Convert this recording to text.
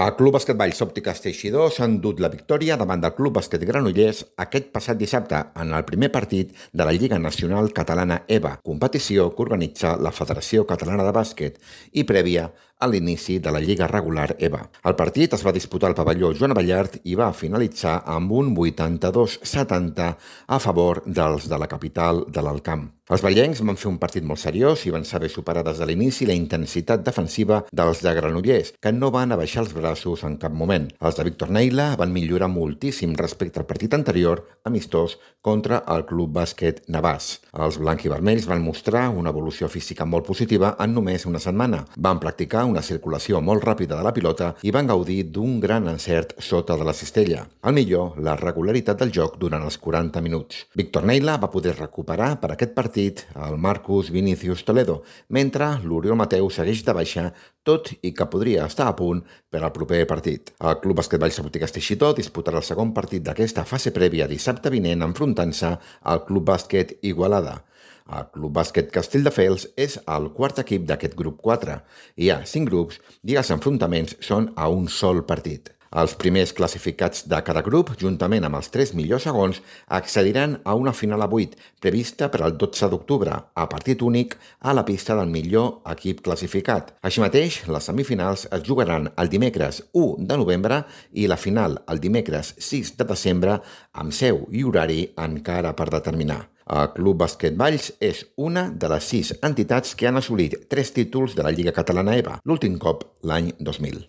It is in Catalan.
El Club Bàsquet Valls Òptiques Teixidor s'ha endut la victòria davant del Club Bàsquet Granollers aquest passat dissabte en el primer partit de la Lliga Nacional Catalana EVA, competició que organitza la Federació Catalana de Bàsquet i prèvia a l'inici de la Lliga Regular EVA. El partit es va disputar al pavelló Joan Abellart i va finalitzar amb un 82-70 a favor dels de la capital de l'Alt Camp. Els vallencs van fer un partit molt seriós i van saber superar des de l'inici la intensitat defensiva dels de Granollers, que no van abaixar els braços en cap moment. Els de Víctor Neila van millorar moltíssim respecte al partit anterior, amistós, contra el Club Bàsquet Navàs. Els blanc-i-vermells van mostrar una evolució física molt positiva en només una setmana. Van practicar una circulació molt ràpida de la pilota i van gaudir d'un gran encert sota de la cistella. Al millor, la regularitat del joc durant els 40 minuts. Víctor Neila va poder recuperar per aquest partit el Marcus Vinicius Toledo, mentre l'Oriol Mateu segueix de baixa, tot i que podria estar a punt per al proper partit. El Club Bàsquet Valls Òptiques Teixidor disputarà el segon partit d'aquesta fase prèvia dissabte vinent enfrontant-se al Club Bàsquet Igualada. El Club Bàsquet Castelldefels és el quart equip d'aquest grup 4. Hi ha 5 grups i els enfrontaments són a un sol partit. Els primers classificats de cada grup, juntament amb els 3 millors segons, accediran a una final a 8, prevista per al 12 d'octubre, a partit únic a la pista del millor equip classificat. Així mateix, les semifinals es jugaran el dimecres 1 de novembre i la final el dimecres 6 de desembre, amb seu i horari encara per determinar. El Club Bàsquet Valls és una de les 6 entitats que han assolit 3 títols de la Lliga Catalana EVA, l'últim cop l'any 2000.